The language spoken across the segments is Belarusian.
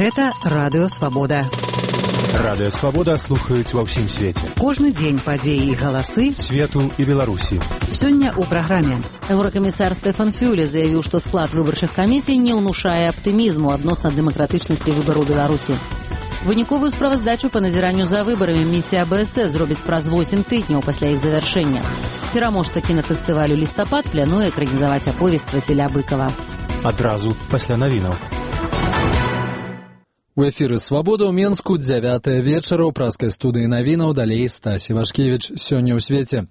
Гэта Радыё Свабода. Радыё Свабода слухаюць ва ўсім свеце. Кожны дзень падзеі і галасы свету і Беларусі. Сёння ў праграме. Еўракамісар Стэфан Фюле заявіў, што склад выбарчых камісій не ўнушае аптымізму адносна дэмакратычнасці выбару Беларусі. Выніковую справаздачу па назіранню за выбарамі місія АБС зробіць праз 8 тыдняў пасля іх завяршэння. Пераможца кінафестывалю «Лістапад» плануе экранізаваць аповесць Васіля Быкова. Адразу пасля навінаў. У эфіры «Свабода» ў Менску 9 вечара ў праскай студыі навінаў, далей Стась Івашкевіч. Сёння ў свеце.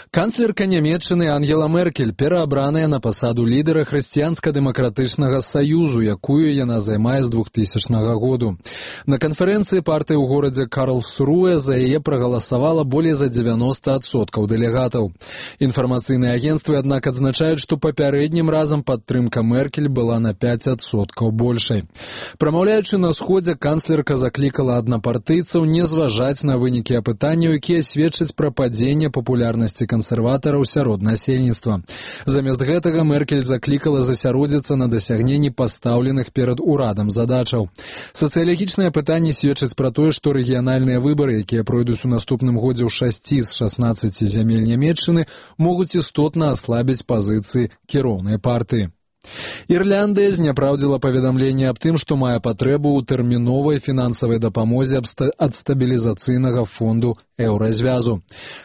Канцлерка Нямецчыны Ангела Меркель пераабраная на пасаду лідара хрысціянска-дэмакратычнага саюзу, якую яна займае з 2000 году. На канферэнцыі партыі ў горадзе Карлсруэ за яе прагаласавала болей за 90% дэлегатаў. Інфармацыйныя агенцтвы, аднак, адзначаюць, што папярэднім разам падтрымка Меркель была на 5% большай. Прамаўляючы на сходзе, канцлерка заклікала аднапартыйцаў не зважаць на вынікі апытанняў, якія сведчаць пра падзенне папулярнасці кансерватараў сярод насельніцтва. Замест гэтага Меркель заклікала засяродзіцца на дасягненні пастаўленых перад урадам задачаў. Сацыялагічныя пытанні сведчаць пра тое, што рэгіянальныя выбары, якія пройдуць у наступным годзе ў 6 з 16 зямель Нямецчыны, могуць істотна аслабіць пазіцыі кіроўнай партыі. Ірляндыя зняпраўдзіла паведамленне аб тым, што мае патрэбу ў тэрміновай фінансавай дапамозе ад стабілізацыйнага фонду Еўразвязу.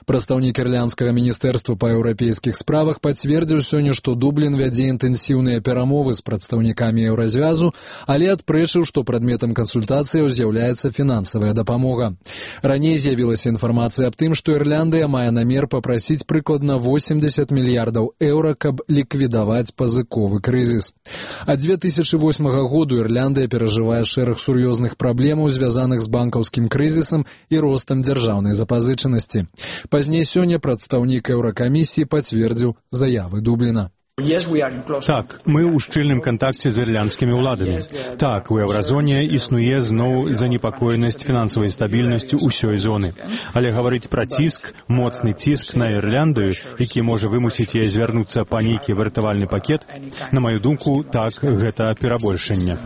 Прадстаўнік ірландскага міністэрства па еўрапейскіх справах пацвердзіў сёння, што Дублін вядзе інтэнсіўныя перамовы з прадстаўнікамі Еўразвязу, але адпрэчыў, што прадметам кансультацыяў з'яўляецца фінансавая дапамога. Раней з'явілася інфармацыя аб тым, што Ірляндыя мае намер папрасіць прыкладна 80 мільярдаў еўра, каб ліквідаваць пазыковы крызіс. Ад 2008 году Ірляндыя перажывае шэраг сур'ёзных праблемаў, звязаных з банкаўскім крызісам і ростам дзяржаўнай запазычанасці. Пазней сёння прадстаўнік Еўракамісіі пацвердзіў заявы Дубліна. Так, мы ў шчыльным кантакце з ірландскімі ўладамі. Так, у еўразоне існуе зноў занепакоенасць фінансавай стабільнасцю ўсёй зоны. Але гаварыць пра ціск, моцны ціск на Ірландыю, які можа вымусіць яе звярнуцца па нейкі выратавальны пакет, на маю думку, так, гэта перабольшанне.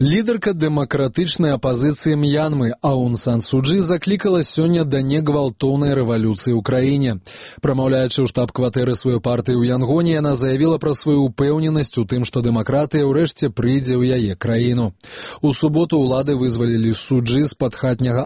Лідарка дэмакратычнай апазіцыі М'янмы Аун Сан Су Чжы заклікала сёння да негвалтоўнай рэвалюцыі ў краіне. Прамаўляючы ў штаб-кватэры сваёй партыі ў Янгоне, яна заявіла пра сваю ўпэўненасць у тым, што дэмакратыя ўрэшце прыйдзе ў яе краіну. У суботу ўлады вызвалілі Су Чжы з-пад хатняга